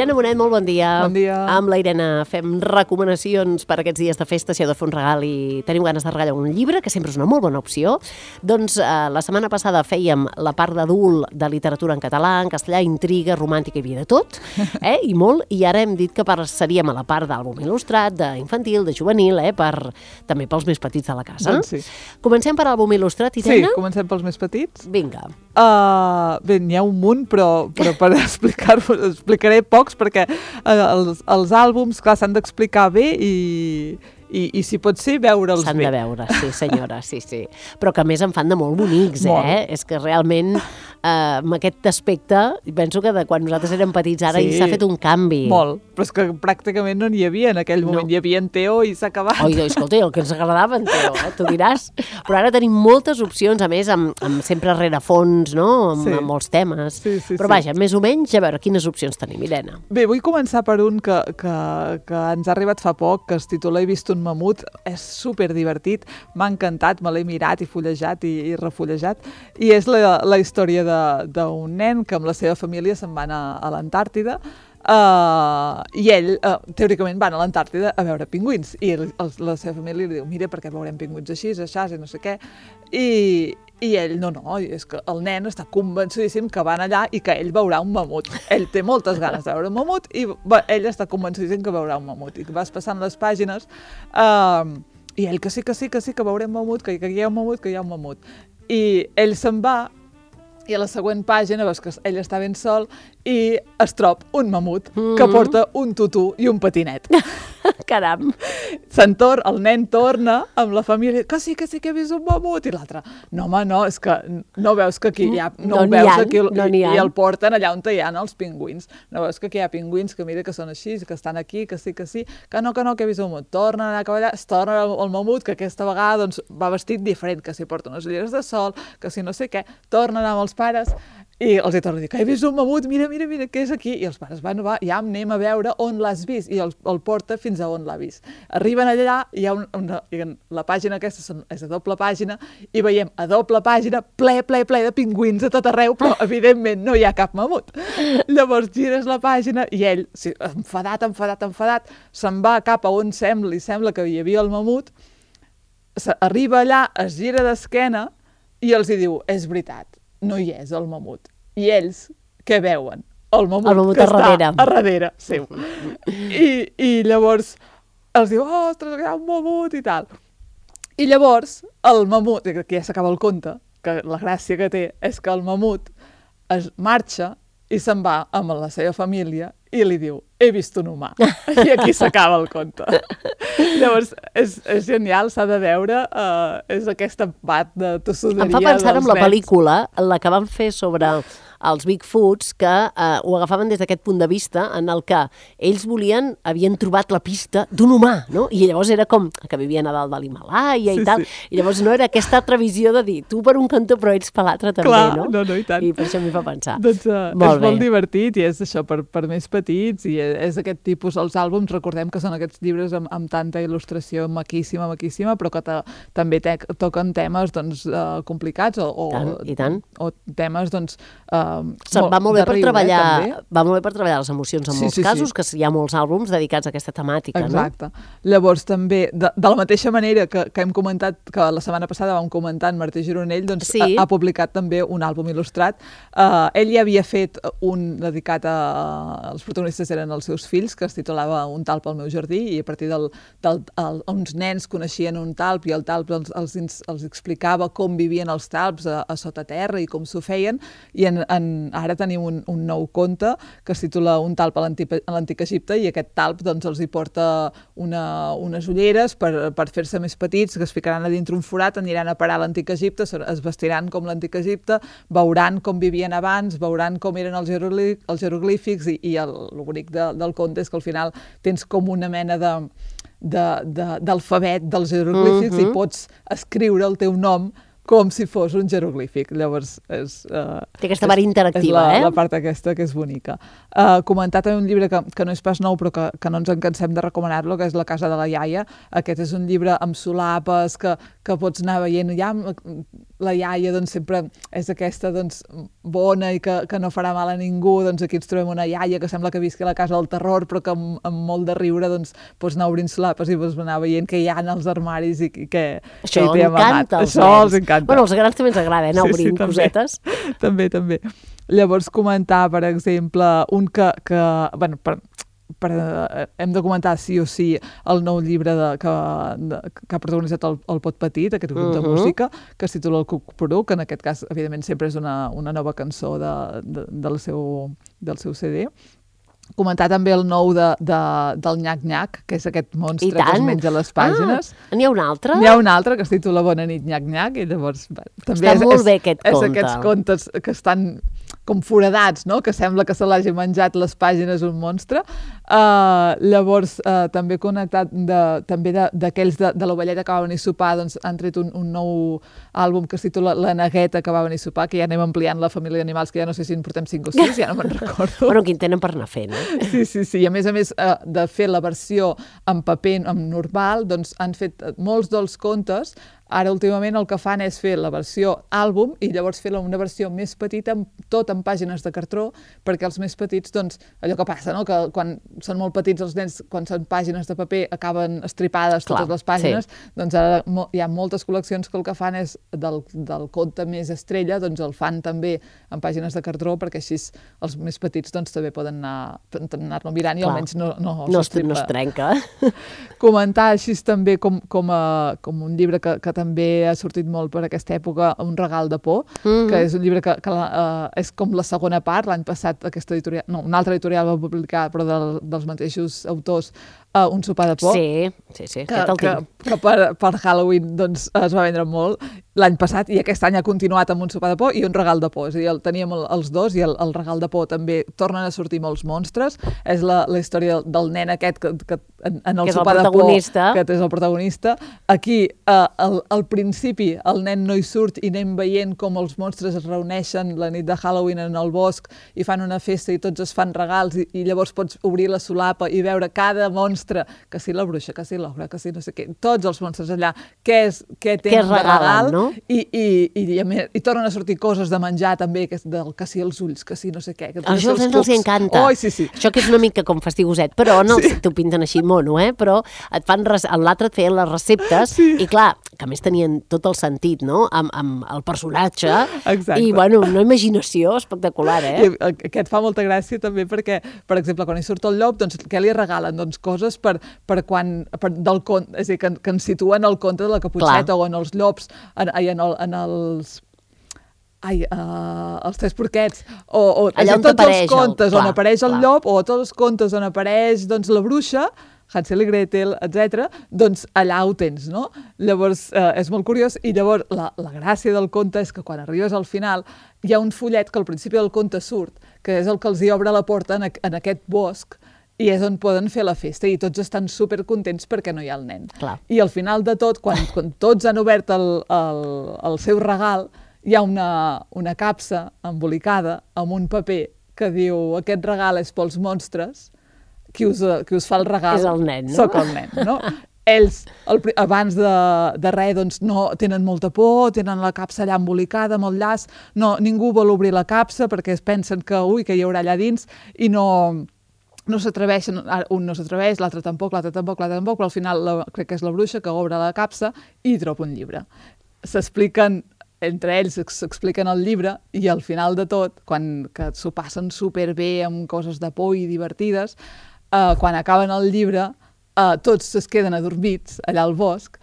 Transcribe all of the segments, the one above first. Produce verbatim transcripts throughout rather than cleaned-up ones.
Irene Bonet, molt bon dia. Bon dia. Amb la Irene fem recomanacions per aquests dies de festa, si heu de fer un regal i teniu ganes de regalar un llibre, que sempre és una molt bona opció. Doncs eh, la setmana passada fèiem la part d'adult de literatura en català, en castellà, intriga, romàntica, hi havia de tot, eh? I molt, i ara hem dit que passaríem a la part d'àlbum il·lustrat, d'infantil, de juvenil, eh? Per, també pels més petits de la casa. Doncs sí. Comencem per àlbum il·lustrat, Irene? Sí, comencem pels més petits. Vinga. Uh, bé, n'hi ha un munt, però, però per explicar-vos, explicaré pocs, perquè uh, els, els àlbums, clar, s'han d'explicar bé i, i, i si pot ser, veure'ls bé. S'han de veure, sí senyora, sí, sí. Però que a més en fan de molt bonics, molt. eh? És que realment, eh, amb aquest aspecte, penso que de quan nosaltres érem petits ara sí, s'ha fet un canvi. Molt, però és que pràcticament no n'hi havia en aquell moment. No. Hi havia en Teo i s'ha acabat. Oi, escolta, el que ens agradava en Teo, eh? Tu diràs. Però ara tenim moltes opcions, a més, amb, amb sempre rerefons, no? Amb, sí. amb molts temes. Sí, sí, però sí. vaja, més o menys, a veure, quines opcions tenim, Irene? Bé, vull començar per un que, que, que ens ha arribat fa poc, que es titula He vist un mamut. És superdivertit, m'ha encantat, me l'he mirat i fullejat i, i refullejat, i és la, la història d'un nen que amb la seva família se'n van a, a l'Antàrtida, uh, i ell, uh, teòricament, van a l'Antàrtida a veure pingüins, i el, el, la seva família li diu, mira, perquè veurem pingüins així, així, i no sé què, i... I ell, no, no, és que el nen està convencidíssim que van allà i que ell veurà un mamut. Ell té moltes ganes de veure un mamut i va, ell està convencidíssim que veurà un mamut. I vas passant les pàgines uh, i ell que sí, que sí, que sí, que veurem mamut, que, que hi ha un mamut, que hi ha un mamut. I ell se'n va i a la següent pàgina veus que ell està ben sol i es troba un mamut mm-hmm. que porta un tutú i un patinet. Caram! Se'n torna, el nen torna amb la família, que sí, que sí que he vist un mamut, i l'altre, no home, no, és que no veus que aquí hi ha, no, no veus aquí, no i, i el porten allà on hi ha els pingüins, no veus que aquí hi ha pingüins que mira que són així, que estan aquí, que sí, que sí, que no, que no, que he vist un mamut, torna a anar cap allà, es torna el mamut, que aquesta vegada doncs, va vestit diferent, que si porta unes ulleres de sol, que si no sé què, torna a anar amb els pares, i els hi torna a dir, que he vist un mamut, mira, mira, mira, què és aquí? I els pares, bueno, va, ja anem a veure on l'has vist, i el, el porta fins a on l'ha vist. Arriben allà, hi ha un, una, la pàgina aquesta són, és a doble pàgina, i veiem a doble pàgina ple, ple, ple de pingüins a tot arreu, però evidentment no hi ha cap mamut. Llavors gires la pàgina i ell, sí, enfadat, enfadat, enfadat, se'n va cap a on sembla, li sembla que hi havia el mamut, arriba allà, es gira d'esquena i els hi diu, és veritat, no hi és el mamut. I ells, què veuen? El mamut, el mamut que a està darrere. a darrere seu. I, I llavors els diu, oh, ostres, hi ha un mamut i tal. I llavors el mamut, que ja s'acaba el conte, que la gràcia que té és que el mamut es marxa i se'n va amb la seva família i li diu, he vist un humà. I aquí s'acaba el conte. Llavors, és, és genial, s'ha de veure, uh, és aquesta bat de tossuderia dels nens. Em fa pensar en la pel·lícula, la que van fer sobre els Bigfoots, que eh, ho agafaven des d'aquest punt de vista en el que ells volien, havien trobat la pista d'un humà, no? I llavors era com que vivien a dalt de l'Himàlaia sí, i tal, sí. I llavors no era aquesta altra visió de dir, tu per un cantó però ells per l'altre també, clar, no? no, no, i tant. I per això m'hi fa pensar. Doncs uh, molt és bé. molt divertit i és això per, per més petits i és aquest tipus, els àlbums, recordem que són aquests llibres amb, amb tanta il·lustració maquíssima, maquíssima, però que ta, també te, toquen temes doncs, uh, complicats o, o, tant, i tant. o temes doncs, uh, Se, va molt bé per riure, treballar, eh, va molt bé per treballar les emocions en sí, molts sí, casos, sí. que hi ha molts àlbums dedicats a aquesta temàtica, exacte. no? Llavors també, de, de la mateixa manera que, que hem comentat, que la setmana passada vam comentar en Martí Gironell, doncs sí. ha, ha publicat també un àlbum il·lustrat. Uh, ell ja havia fet un dedicat a... Els protagonistes eren els seus fills, que es titulava Un talp al meu jardí, i a partir del, del el, uns nens coneixien un talp i el talp els, els, els explicava com vivien els talps a, a sota terra i com s'ho feien, i en, en, ara tenim un, un nou conte que es titula Un talp a l'antic Egipte, i aquest talp doncs, els hi porta una, unes ulleres per, per fer-se més petits, que es ficaran a dintre un forat, aniran a parar a l'antic Egipte, es vestiran com l'antic Egipte, veuran com vivien abans, veuran com eren els, jeroglí- els jeroglífics, i, i el, el bonic de, del conte és que al final tens com una mena de d'alfabet de, de, dels jeroglífics, uh-huh. i pots escriure el teu nom com si fos un jeroglífic. Llavors, és... Uh, Té aquesta part interactiva, és la, eh? la part aquesta que és bonica. Uh, comentar també un llibre que, que no és pas nou, però que, que no ens en cansem de recomanar-lo, que és La casa de la iaia. Aquest és un llibre amb solapes, que, que pots anar veient. Ja, la iaia doncs, sempre és aquesta doncs, bona i que, que no farà mal a ningú. Doncs aquí ens trobem una iaia que sembla que visqui a la casa del terror, però que amb, amb molt de riure doncs, pots anar obrint solapes i pots anar veient què hi ha en els armaris i, i què, Això què hi té amagat. Això els encanta. Bueno, als grans també ens agrada, eh, anar obrint sí, sí, també. cosetes. També, també. Llavors, comentar, per exemple, un que... que bueno, per, per, eh, hem de comentar sí o sí el nou llibre de, que, de, que ha protagonitzat el, el Pot Petit, aquest grup uh-huh. de música, que es titula El Cuc-Poruc, que en aquest cas, evidentment, sempre és una, una nova cançó de, de, del, seu, del seu C D. Comentar també el nou de, de, del Nyac-Nyac, que és aquest monstre que es menja les pàgines. Ah, n'hi ha un altre? N'hi ha un altre que es titula Bona nit, Nyac-Nyac, i llavors... Bé, també Està és, molt és, bé aquest és conte. És aquests contes que estan com foradats, no? Que sembla que se l'hagi menjat les pàgines un monstre. Uh, llavors, uh, també connectat de, també d'aquells de, de, de l'ovelleta que va venir a sopar, doncs han tret un, un nou àlbum que es titula La negueta que va venir a sopar, que ja anem ampliant la família d'animals, que ja no sé si en portem cinc o sis, ja no me'n recordo. Bueno, quin tenen per anar fent, eh? Sí, sí, sí. I a més a més uh, de fer la versió en paper, en normal, doncs han fet molts dels contes. Ara, últimament, el que fan és fer la versió àlbum i llavors fer una versió més petita, tot en pàgines de cartró, perquè els més petits, doncs, allò que passa, no? Que quan són molt petits els nens, quan són pàgines de paper, acaben estripades totes Clar, les pàgines, sí. Doncs ara hi ha moltes col·leccions que el que fan és del, del conte més estrella, doncs el fan també en pàgines de cartró, perquè així els més petits doncs, també poden anar, anar-lo mirant i Clar. almenys no, no, no, es, no es trenca. Comentar així també com, com, a, com un llibre que, que també ha sortit molt per aquesta època, Un regal de por, mm-hmm. que és un llibre que, que uh, és com la segona part. L'any passat aquesta editorial, no, una altra editorial va publicar, però del, dels mateixos autors, uh, Un sopar de por. Sí, sí, sí. Que, que, que per, per Halloween doncs, es va vendre molt l'any passat i aquest any ha continuat amb Un sopar de por i Un regal de por. És a dir, el, teníem el, els dos i el, el regal de por també tornen a sortir molts monstres. És la, la història del nen aquest que, que en, en el que sopar el de por, que és el protagonista. Aquí, eh, al, al principi, el nen no hi surt i anem veient com els monstres es reuneixen la nit de Halloween en el bosc i fan una festa i tots es fan regals i, i llavors pots obrir la solapa i veure cada monstre, que si la bruixa, que si l'ogre, que si no sé què, tots els monstres allà, què, és, què tenen de regal, no? I, i, i, i, i, i tornen a sortir coses de menjar també, que, és del, que si els ulls, que si no sé què. Que això als nens els encanta. Oh, sí, sí. Això que és una mica com fastigoset, però no sí. t'ho pinten així mono, eh? Però et fan l'altre et feien les receptes sí. i clar, que a més tenien tot el sentit, no? Amb, amb el personatge. Exacte. I, bueno, una imaginació espectacular, eh? I aquest fa molta gràcia també perquè, per exemple, quan hi surt el llop, doncs què li regalen? Doncs coses per, per quan, per, del conte, és a dir, que, que ens situen el conte de la Caputxeta Clar. O en els llops, en, en, el, en els... Ai, uh, els tres porquets, o, o allà on tots els contes el, clar, on apareix el clar. llop, o tots els contes on apareix doncs, la bruixa, Hansel i Gretel, etcètera, doncs allà ho tens, no? Llavors, eh, és molt curiós, i llavors la, la gràcia del conte és que quan arribes al final hi ha un fullet que al principi del conte surt, que és el que els hi obre la porta en, en aquest bosc, i és on poden fer la festa, i tots estan supercontents perquè no hi ha el nen. Clar. I al final de tot, quan, quan tots han obert el, el, el seu regal, hi ha una, una capsa embolicada amb un paper que diu aquest regal és pels monstres, qui us, qui us fa el regal és el nen, no? Soc el nen, no? Ells, el, abans de, de res, doncs, no, tenen molta por, tenen la capsa allà embolicada amb el llaç, no, ningú vol obrir la capsa perquè es pensen que, ui, que hi haurà allà dins, i no... no s'atreveixen, un no s'atreveix, l'altre tampoc, l'altre tampoc, l'altre tampoc, però al final la, crec que és la bruixa que obre la capsa i troba un llibre. S'expliquen, entre ells s'expliquen el llibre i al final de tot, quan que s'ho passen superbé amb coses de por i divertides, eh, quan acaben el llibre, eh, tots es queden adormits allà al bosc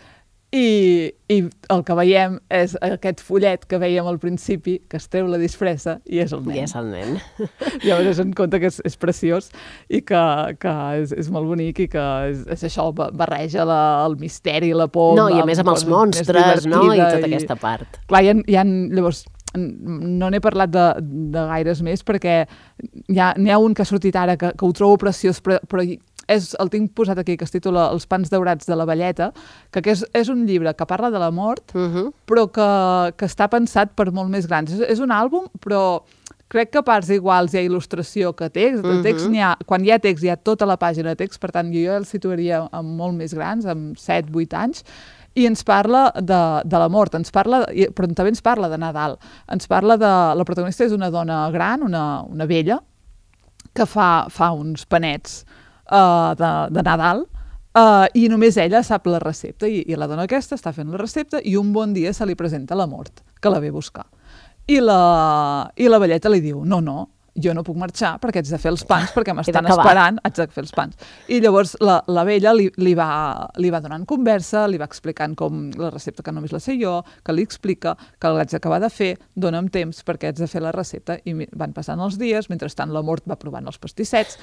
i, i el que veiem és aquest fullet que veiem al principi, que es treu la disfressa i és el nen. I és el nen. Llavors es compte que és, és preciós i que, que és, és molt bonic i que és, és això, barreja la, el misteri, la por... No, i a més amb els monstres, no? I tota i, aquesta part. Clar, hi ha, hi ha llavors... no n'he parlat de, de gaires més perquè hi ha, n'hi ha un que ha sortit ara que, que ho trobo preciós, però, però és, el tinc posat aquí, que es titula Els pans daurats de la velleta, que, que és, és un llibre que parla de la mort, uh-huh. però que, que està pensat per molt més grans. És, és un àlbum, però crec que a parts iguals hi ha il·lustració que text. De text uh-huh. ha, quan hi ha text hi ha tota la pàgina de text, per tant jo el situaria amb molt més grans, amb set vuit anys, i ens parla de, de la mort, ens parla, però també ens parla de Nadal. Ens parla de... La protagonista és una dona gran, una, una vella, que fa, fa uns panets uh, de, de Nadal, uh, i només ella sap la recepta, i, i la dona aquesta està fent la recepta, i un bon dia se li presenta la mort, que la ve a buscar. I la, i la velleta li diu, no, no, jo no puc marxar perquè haig de fer els pans, perquè m'estan esperant, haig de fer els pans. I llavors la, la vella li, li, va, li va donant conversa, li va explicant com la recepta, que només la sé jo, que li explica que l'haig d'acabar de fer, dona'm temps perquè haig de fer la recepta, i van passant els dies, mentrestant la mort va provant els pastissets,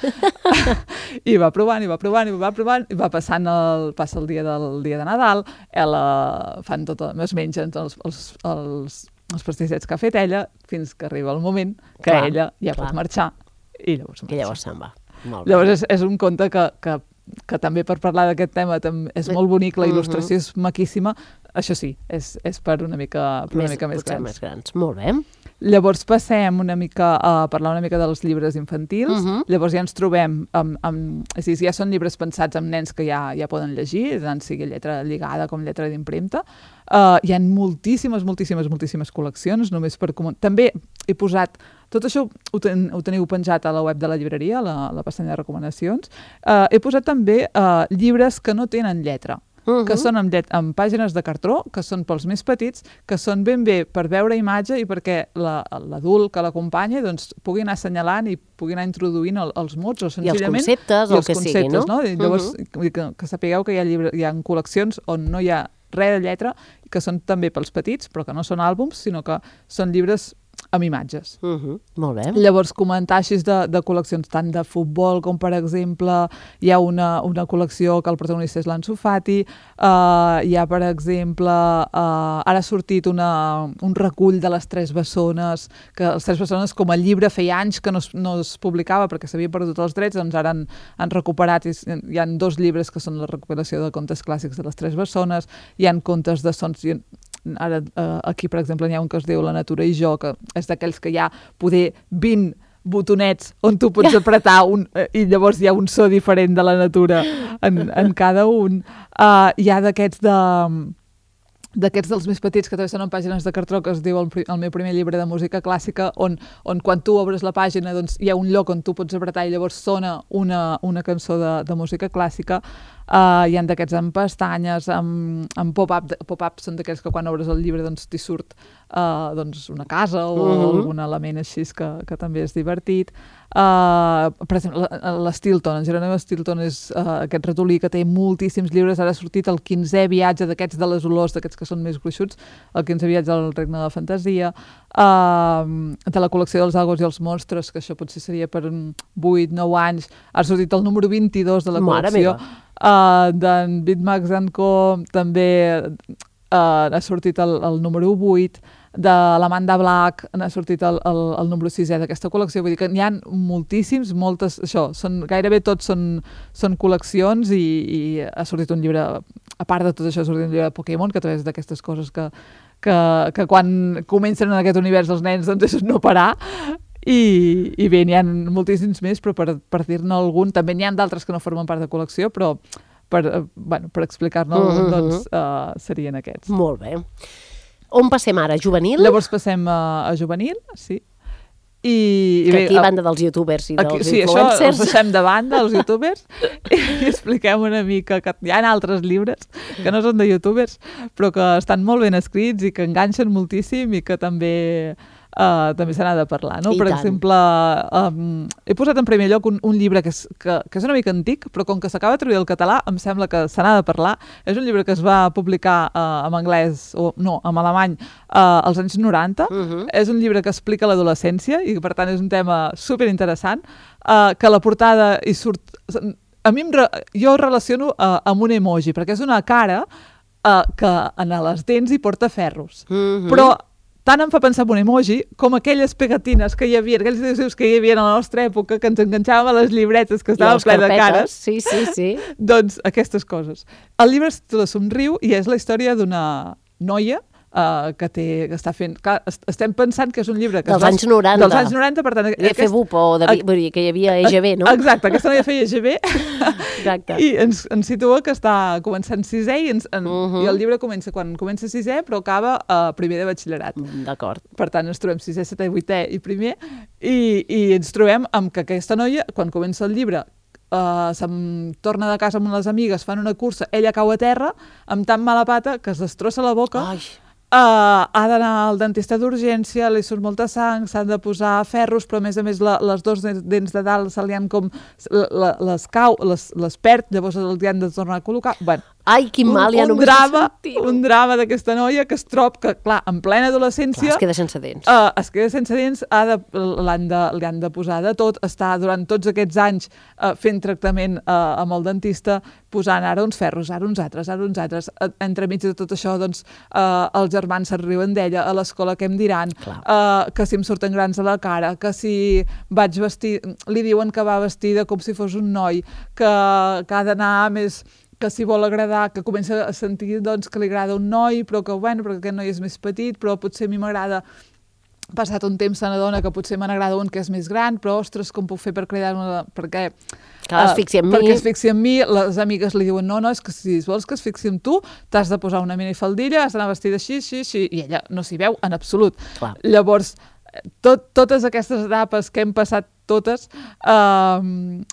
i va provant, i va provant, i va provant, i va passant el, passa el dia del dia de Nadal, ella fan tot, es mengen els, els, els els pastissets que ha fet ella, fins que arriba el moment que clar, ella ja clar. pot marxar, i llavors marxa. I llavors se'n va. Molt llavors és, és un conte que, que, que també per parlar d'aquest tema és molt bonic, la il·lustració uh-huh. és maquíssima, això sí, és, és per una mica, per una més, mica més grans. més grans. Molt bé. Llavors passem una mica a parlar una mica dels llibres infantils, uh-huh. llavors ja ens trobem amb, amb, és a dir, ja són llibres pensats amb nens que ja, ja poden llegir, tant sigui lletra lligada com lletra d'impremta. Uh, hi ha moltíssimes, moltíssimes, moltíssimes col·leccions, només per... Com... També he posat... Tot això ho, ten, ho teniu penjat a la web de la llibreria, la, la pestanya de recomanacions. Uh, he posat també uh, llibres que no tenen lletra, uh-huh. que són amb, llet, amb pàgines de cartró, que són pels més petits, que són ben bé per veure imatge i perquè la, l'adult que l'acompanya doncs, pugui anar assenyalant i pugui anar introduint el, els mots, o senzillament... I els conceptes, i els el que sigui, no? no? I llavors, uh-huh. que, que sapigueu que hi ha, llibre, hi ha col·leccions on no hi ha res de lletra, que són també pels petits, però que no són àlbums, sinó que són llibres amb imatges. Uh-huh. Molt bé. Llavors, comentar així de, de col·leccions tant de futbol com, per exemple, hi ha una, una col·lecció que el protagonista és l'Ansu Fati, uh, hi ha, per exemple, uh, ara ha sortit una, un recull de les Tres Bessones, que les Tres Bessones, com a llibre, feia anys que no es, no es publicava perquè s'havia perdut els drets, doncs ara han, han recuperat, i hi ha dos llibres que són la recopilació de contes clàssics de les Tres Bessones, hi ha contes de sons... Ara, eh, aquí, per exemple, n'hi ha un que es diu La natura i jo, que és d'aquells que hi ha poder vint botonets on tu pots apretar un, eh, i llavors hi ha un so diferent de la natura en, en cada un. Uh, hi ha d'aquests de... d'aquests dels més petits que també són en pàgines de cartró, que es diu el, el meu primer llibre de música clàssica, on, on quan tu obres la pàgina doncs, hi ha un lloc on tu pots apretar i llavors sona una, una cançó de, de música clàssica. Uh, hi ha d'aquests amb pestanyes, amb, amb pop-up. Pop-up són d'aquells que quan obres el llibre doncs, t'hi surt uh, doncs, una casa o uh-huh. algun element així que, que també és divertit. Uh, per exemple, l'Stilton, en Jerónimo Stilton és uh, aquest ratolí que té moltíssims llibres. Ara ha sortit el quinzè viatge d'aquests de les olors, d'aquests que són més gruixuts, el quinzè viatge al regne de la fantasia, uh, de la col·lecció dels Agos i els monstres, que això potser seria per vuit nou anys. Ha sortit el número vint-i-dos de la col·lecció. Uh, d'en Bitmax and Co. també uh, ha sortit el, el número vuit, de l'Amanda Black n'ha sortit el, el, el número sisè d'aquesta col·lecció. Vull dir que n'hi ha moltíssims, moltes, això, són, gairebé tots són, són col·leccions, i, i ha sortit un llibre, a part de tot això, ha sortit un llibre de Pokémon, que també és d'aquestes coses que, que, que quan comencen en aquest univers els nens doncs és no parar. I, i bé, n'hi ha moltíssims més, però per, per dir-ne algun, també n'hi ha d'altres que no formen part de col·lecció, però per, bueno, per explicar-ne algun, uh-huh. doncs uh, serien aquests. Molt bé. On passem ara? Juvenil? Llavors passem a, a juvenil, sí. I, que i bé, aquí, a banda dels youtubers i aquí, dels sí, influencers... Sí, això els deixem de banda, els youtubers, i, i expliquem una mica que hi ha altres llibres que no són de youtubers, però que estan molt ben escrits i que enganxen moltíssim i que també... Uh, també se n'ha de parlar, no? I per tant. exemple, um, he posat en primer lloc un, un llibre que és, que, que és una mica antic, però com que s'acaba de traduir al català, em sembla que se n'ha de parlar. És un llibre que es va publicar uh, en anglès, o no, en alemany, uh, als anys noranta. Uh-huh. És un llibre que explica l'adolescència i que, per tant, és un tema superinteressant, uh, que a la portada hi surt... A mi em re... jo ho relaciono uh, amb un emoji, perquè és una cara uh, que en les dents hi porta ferros. Uh-huh. Però tant em fa pensar en un emoji com aquelles pegatines que hi havia, aquells adhesius que hi havia a la nostra època, que ens enganxàvem a les llibretes, que estaven ple de cares. Sí, sí, sí. Doncs aquestes coses. El llibre es titula Somriu i és la història d'una noia Uh, que, té, que està fent... Clar, estem pensant que és un llibre... Que dels anys noranta. Dels anys noranta, per tant... Havia aquest... fet bup, o de, vull dir, que hi havia E G B, no? Exacte, aquesta noia feia E G B. Exacte. I ens, ens situa que està començant sisè i, ens, en, uh -huh. i el llibre comença quan comença sisè, però acaba a uh, primer de batxillerat. D'acord. Per tant, ens trobem sisè, setè, vuitè i primer, i, i ens trobem amb que aquesta noia, quan comença el llibre, Uh, se'n torna de casa amb les amigues, fan una cursa, ella cau a terra amb tan mala pata que es destrossa la boca. Ai. Uh, ha d'anar al dentista d'urgència, li surt molta sang, s'han de posar ferros, però a més a més la, les dos dents de dalt se li han com... La, les cau, les, les perd, llavors els han de tornar a col·locar. Bueno, ai, quin mal, un, ja un només drama, un drama d'aquesta noia que es trob que, clar, en plena adolescència... Clar, es queda sense dents. Uh, es queda sense dents, ha de, l'han de, li han de posar de tot, està durant tots aquests anys uh, fent tractament uh, amb el dentista, posant ara uns ferros, ara uns altres, ara uns altres. Uh, entremig de tot això, doncs, uh, els germans se'n riuen d'ella, a l'escola què em diran, uh, que si em surten grans a la cara, que si vaig vestir... Li diuen que va vestida com si fos un noi, que, que ha d'anar més... que si vol agradar, que comença a sentir doncs, que li agrada un noi, però que, bueno, perquè aquest noi és més petit, però potser a mi m'agrada, passat un temps se n'adona que potser me n'agrada un que és més gran, però, ostres, com puc fer per cridar-me... Perquè... Que es fixi en mi. Perquè es fixi en mi, les amigues li diuen, no, no, és que si vols que es fixi en tu, t'has de posar una minifaldilla, has d'anar vestida així, així, així, i ella no s'hi veu en absolut. Clar. Llavors, tot, totes aquestes etapes que hem passat totes uh,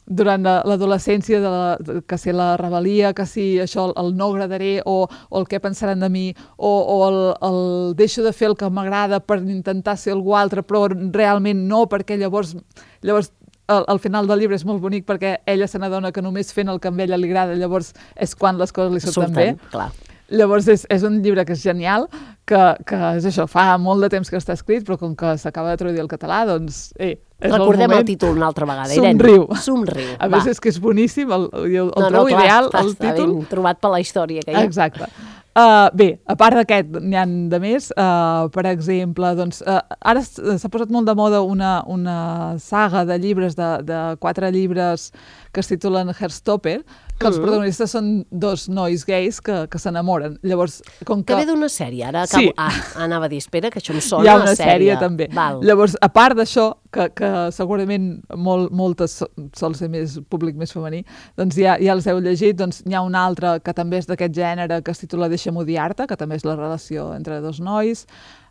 durant l'adolescència, de la, de, que si la rebel·lia, que si això, el, el no agradaré, o, o el què pensaran de mi, o, o el, el deixo de fer el que m'agrada per intentar ser algú altre, però realment no, perquè llavors, llavors al, al final del llibre és molt bonic perquè ella se n'adona que només fent el que a ella li agrada, llavors és quan les coses li surten, surten bé. Clar. Llavors és, és un llibre que és genial, que, que és això, fa molt de temps que està escrit, però com que s'acaba de traduir al català, doncs, eh, és recordem el, el títol una altra vegada. Somriu. Irene. Somriu. A més, és que és boníssim, el, el, el no, trobo no, clar, ideal, clar, el títol. Està ben trobat per la història que hi ha. Exacte. Uh, bé, a part d'aquest, n'hi ha de més. Uh, per exemple, doncs, uh, ara s'ha posat molt de moda una, una saga de llibres, de, de quatre llibres que es titulen Heartstopper, que els protagonistes són dos nois gais que, que s'enamoren. Llavors, com que... Que ve d'una sèrie, ara acabo... Sí. Ah, anava a dir, espera, que això em sona Hi ha una a sèrie. sèrie, també. Val. Llavors, a part d'això, que, que segurament molt, moltes sol ser més públic més femení, doncs ja, ja els heu llegit, doncs n'hi ha una altra que també és d'aquest gènere, que es titula Deixa'm odiar-te, que també és la relació entre dos nois.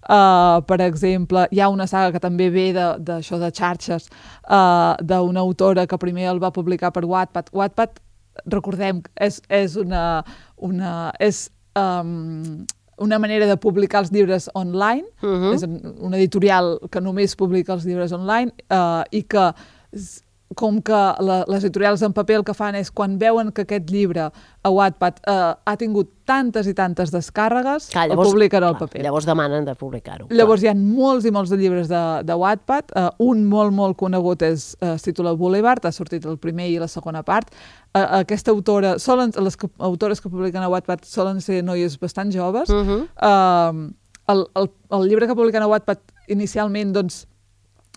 Uh, per exemple, hi ha una saga que també ve d'això de, de xarxes, uh, d'una autora que primer el va publicar per Wattpad. Wattpad, recordem, és, és una... una és, um, una manera de publicar els llibres online, uh-huh. És una editorial que només publica els llibres online, uh, i que com que la, les editorials en paper el que fan és quan veuen que aquest llibre a Wattpad uh, ha tingut tantes i tantes descàrregues, clar, llavors, el publiquen al paper. Llavors demanen de publicar-ho. Llavors hi ha molts i molts de llibres de, de Wattpad. Uh, un molt, molt conegut és, uh, es titula Boulevard, ha sortit el primer i la segona part. Uh, aquesta autora, solen, les que, autores que publiquen a Wattpad solen ser noies bastant joves. Uh-huh. uh, el, el, el llibre que publiquen a Wattpad inicialment, doncs,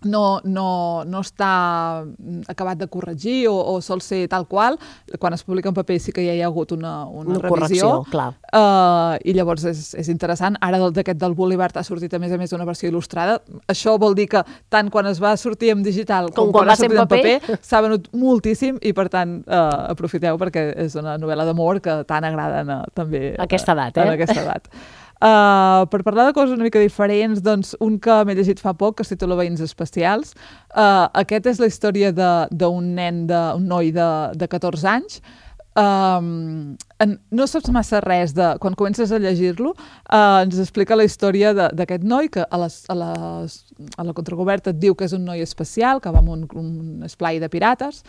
no, no, no està acabat de corregir o, o sol ser tal qual. Quan es publica en paper sí que ja hi ha hagut una, una, una revisió. Correcció, clar. Uh, I llavors és, és interessant. Ara d'aquest del Boulevard ha sortit a més a més una versió il·lustrada. Això vol dir que tant quan es va sortir en digital com, com quan, quan ha sortit en paper, paper s'ha venut moltíssim i per tant uh, aprofiteu perquè és una novel·la d'amor que tant agrada uh, també a aquesta edat, eh? En aquesta edat. Uh, per parlar de coses una mica diferents, doncs un que m'he llegit fa poc, que es titula Veïns especials. Uh, aquest és la història d'un nen, de, un noi de, de catorze anys. Um, en, no saps massa res de... Quan comences a llegir-lo, uh, ens explica la història d'aquest noi que a, les, a, les, a la contracoberta et diu que és un noi especial, que va amb un, un esplai de pirates,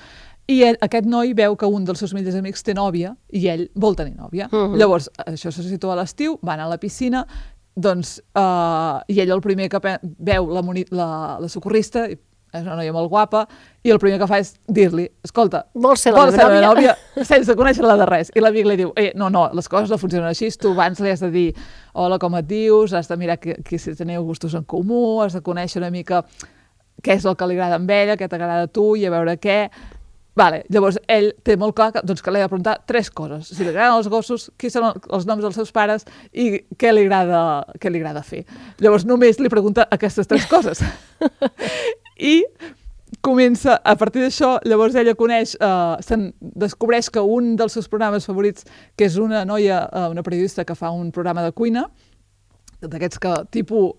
i ell, aquest noi veu que un dels seus millors amics té nòvia i ell vol tenir nòvia. Uh-huh. Llavors, això se situa a l'estiu, van a la piscina, doncs, uh, i ell el primer que veu la, la, la socorrista és una noia molt guapa, i el primer que fa és dir-li, escolta, vols ser la vols meva ser la nòvia? nòvia sense conèixer-la de res. I l'amic li diu, eh, no, no, les coses no funcionen així, tu abans li has de dir, hola, com et dius, has de mirar que, que si teniu gustos en comú, has de conèixer una mica què és el que li agrada amb ella, què t'agrada a tu, i a veure què... Vale, llavors ell té molt clar que, doncs, que li ha de preguntar tres coses. Si li agraden els gossos, qui són els noms dels seus pares i què li agrada, què li agrada fer. Llavors només li pregunta aquestes tres coses. I comença, a partir d'això, llavors ella coneix, eh, se'n descobreix que un dels seus programes favorits, que és una noia, eh, una periodista que fa un programa de cuina, d'aquests que, tipus...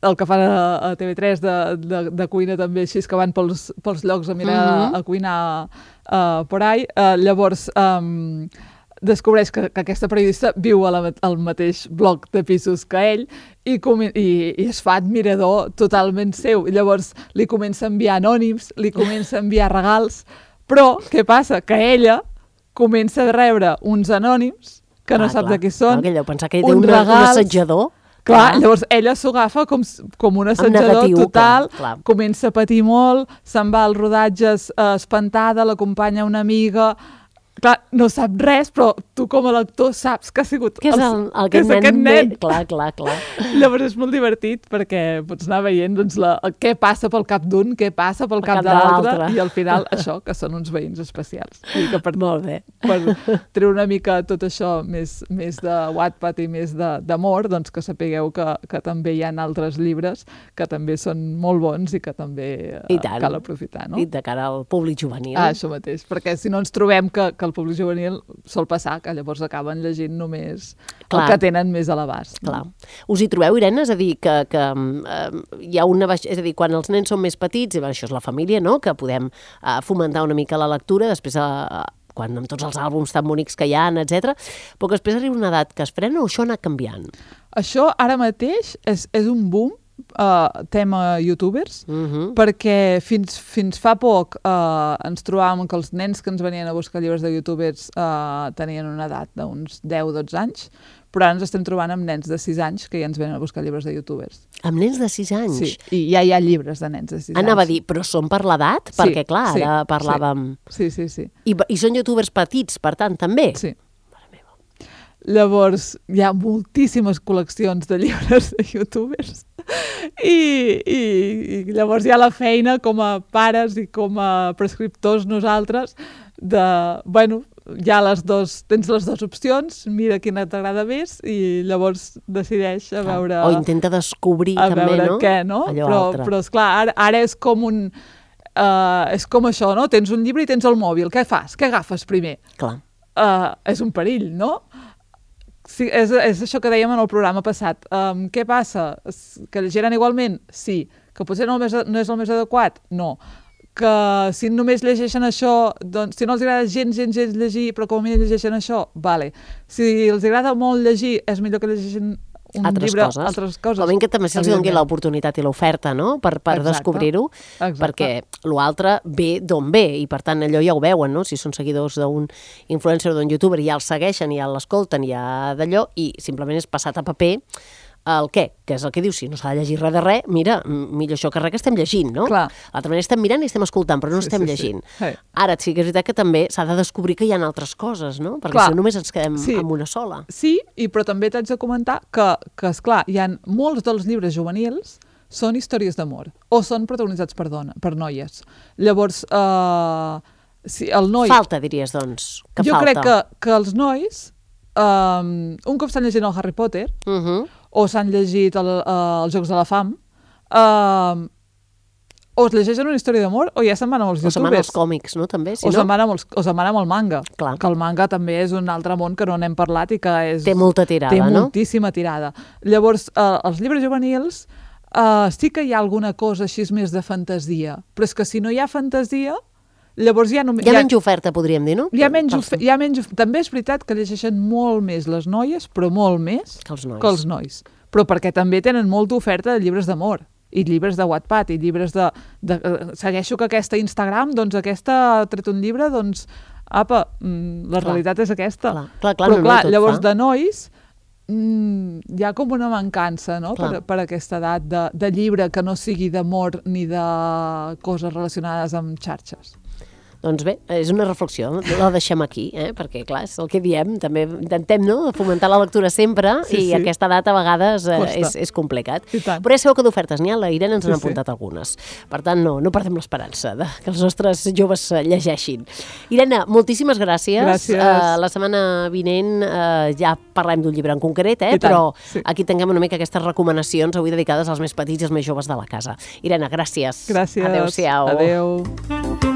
el que fan a, a T V tres de, de, de cuina també, així que van pels, pels llocs a mirar mm-hmm. a cuinar uh, por ahí. Uh, llavors um, descobreix que, que aquesta periodista viu a la, al mateix bloc de pisos que ell i, i, i es fa admirador totalment seu. I llavors li comença a enviar anònims, li comença a enviar regals, però què passa? Que ella comença a rebre uns anònims que no ah, sap clar. de qui són. Clar, que ell deu pensar que ell té un, regals, un assetjador. Clar, llavors ella s'ho agafa com, com un assetjador total, clar, clar. Comença a patir molt, se'n va als rodatges eh, espantada, l'acompanya una amiga... Clar, no sap res, però tu com a lector saps que ha sigut... Que és el, el, que és nen, aquest nen. Clar, clar, clar. Llavors és molt divertit perquè pots anar veient doncs, la, què passa pel cap d'un, què passa pel cap, cap de l'altre, i al final això, que són uns veïns especials. I que per, molt bé. Per treure una mica tot això més, més de Wattpad i més d'amor, doncs que sapigueu que, que també hi ha altres llibres que també són molt bons i que també eh, cal aprofitar. No? I de cara al públic juvenil. Ah, això mateix, perquè si no ens trobem que, que el públic juvenil sol passar, que llavors acaben llegint només clar. El que tenen més a l'abast. Clar. Us hi trobeu, Irene? És a dir, que, que eh, hi ha una... És a dir, quan els nens són més petits, i això és la família, no?, que podem eh, fomentar una mica la lectura, després eh, quan amb tots els àlbums tan bonics que hi ha, etcètera, però que després arriba una edat que es frena o això ha anat canviant? Això ara mateix és, és un boom, Uh, tema youtubers, uh-huh. perquè fins, fins fa poc uh, ens trobàvem que els nens que ens venien a buscar llibres de youtubers uh, tenien una edat d'uns deu o dotze anys, però ara ens estem trobant amb nens de sis anys que ja ens venen a buscar llibres de youtubers. Amb nens de sis anys? Sí, i ja hi ha llibres de nens de sis anys. Anava a dir, però són per l'edat? Sí, perquè clar, sí, ara parlàvem... Sí, sí, sí. I, I són youtubers petits, per tant, també? Sí. Llavors, hi ha moltíssimes col·leccions de llibres de youtubers I, i, i llavors hi ha la feina com a pares i com a prescriptors nosaltres de, bueno, hi ha les dos, tens les dues opcions, mira quina t'agrada més i llavors decideix a veure... O intenta descobrir a també, veure no? què, no? Allò però, altre. Però esclar, ara, ara és com un... Uh, és com això, no? Tens un llibre i tens el mòbil, què fas? Què agafes primer? Clar. Uh, és un perill, no? Sí, és, és això que dèiem en el programa passat. Um, què passa? Que llegiran igualment? Sí. Que potser no, més, no és el més adequat? No. Que si només llegeixen això, doncs, si no els agrada gens, gens, gens llegir, però com a mínim llegeixen això, vale. Si els agrada molt llegir, és millor que llegeixin un altres llibre, coses. altres coses. Com que també se'ls doni l'oportunitat i l'oferta, no?, per, per descobrir-ho, perquè l'altre ve d'on ve, i per tant allò ja ho veuen, no?, si són seguidors d'un influencer o d'un youtuber, ja el segueixen, ja l'escolten, ja d'allò, i simplement és passat a paper el què, que és el que diu, si no s'ha de llegir res de res, mira, millor això que res que estem llegint, no? Clar. L'altra manera estem mirant i estem escoltant, però no sí, estem sí, llegint. Sí. Sí. Ara sí que és veritat que també s'ha de descobrir que hi ha altres coses, no? Perquè clar. Si no només ens quedem sí. amb una sola. Sí, i però també t'haig de comentar que, que esclar, hi ha molts dels llibres juvenils són històries d'amor, o són protagonitzats per, dona, per noies. Llavors, eh, si el noi... Falta, diries, doncs, que jo falta. Jo crec que, que els nois, um, un cop estan llegint el Harry Potter, uh-huh. o s'han llegit el, uh, els Jocs de la Fam, uh, o es llegeixen una història d'amor, o ja se'n van amb els youtubers. O se'n van als còmics, no?, també. Si o no... se'n van amb els, o se'n van amb el manga. Clar. Que el manga també és un altre món que no n'hem parlat i que és... Té molta tirada, té no? Té moltíssima tirada. Llavors, uh, els llibres juvenils uh, sí que hi ha alguna cosa així més de fantasia, però és que si no hi ha fantasia, llavors ja no... Hi ha menys oferta, podríem dir, no? Hi ha menys oferta. Hi ha menys... També és veritat que llegeixen molt més les noies, però molt més que els nois. Que els nois. Però perquè també tenen molta oferta de llibres d'amor, i llibres de Wattpad, i llibres de... de uh, segueixo que aquesta Instagram, doncs aquesta ha tret un llibre, doncs, apa, mm, la clar. Realitat és aquesta. Clar, clar, clar, però no, clar, no, llavors fa. De nois, mm, hi ha com una mancança, no?, per, per aquesta edat de, de llibre que no sigui d'amor ni de coses relacionades amb xarxes. Doncs bé, és una reflexió, la deixem aquí, eh? Perquè, clar, és el que diem, també intentem, no?, fomentar la lectura sempre, sí, i sí. aquesta data a vegades eh, és, és complicat. Però ja sabeu que d'ofertes n'hi ha, la Irene ens sí, n'ha apuntat sí. algunes. Per tant, no, no perdem l'esperança de que els nostres joves llegeixin. Irene, moltíssimes gràcies. Gràcies. Uh, la setmana vinent uh, ja parlem d'un llibre en concret, eh? Però sí. aquí tanquem una mica aquestes recomanacions avui dedicades als més petits i als més joves de la casa. Irene, gràcies. Gràcies. Adéu-siau. Adéu.